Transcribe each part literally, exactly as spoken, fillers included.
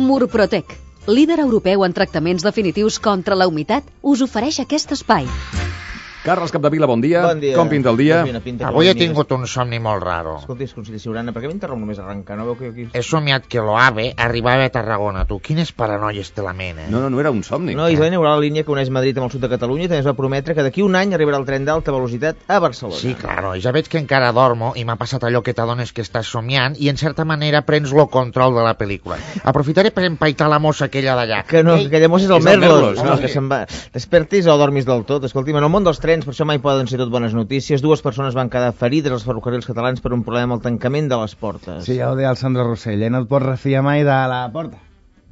Murprotec, líder europeu en tractaments definitius contra la humitat, us ofereix aquest espai. Carles Capdevila, bon dia. Bon dia. Com pinta el dia? Avui he tingut un somni molt raro. Escolti, conseller Ciurana, per què m'interromp només arrencar? No veu que aquí... He somiat que l'AVE arribava a Tarragona. Tu, quines paranoies te la mena, eh? No, no, no era un somni. No, Isabel inaugurarà la línia que uneix Madrid amb el sud de Catalunya i també es va prometre que d'aquí un any arribarà el tren d'alta velocitat a Barcelona. Sí, claro, ja veig que encara dormo i m'ha passat allò que t'adones que estàs somiant i en certa manera prens lo control de la pel·lícula. Aprofitaré per empaitar la mossa aquella d'allà. Que no, que aquella mossa és el És el Merlos, Merlos, no, no? que se'n va. Despertis o dormis del tot. Escolti'm, en el món dels trens, per això mai poden ser tot bones notícies. Dues persones van quedar ferides als ferrocarrils catalans per un problema amb el tancament de les portes. Sí, ja ho deia el Sandro Rossell, eh? No et pots refiar mai de la porta.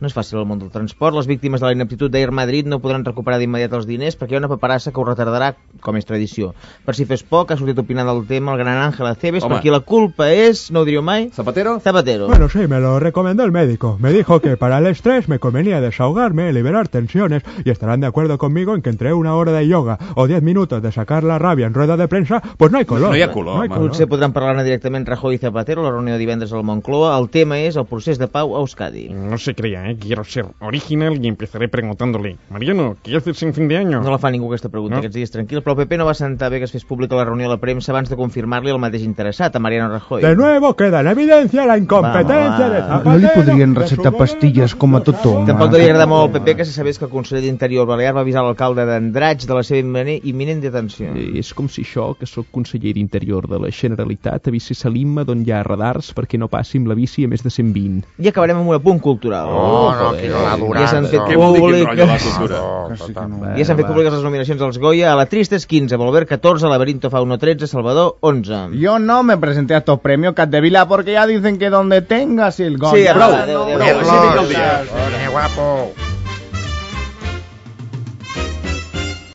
No és fàcil el món del transport. Les víctimes de la ineptitud d'Air Madrid no podran recuperar d'immediat els diners perquè hi ha una paperassa que ho retardarà, com és tradició. Per si fes poc, ha sortit opinant del tema el gran Ángel Aceves, Home. per qui la culpa és, no ho diríeu mai, ¿Zapatero? Zapatero. Bueno, sí, me lo recomendó el médico. Me dijo que para el estrés me convenía desahogarme, liberar tensiones, y estarán de acuerdo conmigo en que entre una hora de yoga o diez minutos de sacar la rabia en rueda de prensa, pues no hay color. No hi ha color, hay home. Potser podran parlar-ne directament Rajoy i Zapatero a la reunió de divendres a la Moncloa. El tema és el procés de pau a Euskadi. No se crea, ¿eh? Quiero ser original y empezaré preguntándole: Mariano, ¿qué haces en fin de año? No la fa ningú aquesta pregunta No? aquests dies, tranquil, però el P P no va sentar bé que es fes pública la reunió a la premsa abans de confirmar-li el mateix interessat, a Mariano Rajoy. De nuevo queda en evidencia la incompetencia Vamos, de va. Zapatero. No li podrien de recetar su pastilles com a tothom. Tampoc eh? devia agradar molt al P P que se sabés que el conseller d'Interior Balear va avisar l'alcalde d'Andratx de la seva immine- imminent detenció. Eh, És com si jo, que sóc conseller d'Interior de la Generalitat, avisés a l'Imma d'on hi ha radars perquè no passi amb la bici a més de cent vint. I acabarem amb un apunt cultural. Oh, no, joder. que no l'ha durat, Ja s'han fet no. Què vol dir quin rotllo la públiques... cultura? Oh, Que sí que total. no. Ja s'han fet públiques les nominacions als Goya. A la Tristes quinze, Volver catorze, Laberinto Fauno tretze, Salvador onze. Yo no me presenté a estos premios, Capdevila, porque ya dicen que donde tengas el gol. Sí, Prou. adéu, adéu, adéu. Carlos, Cívic del dia. Viene guapo.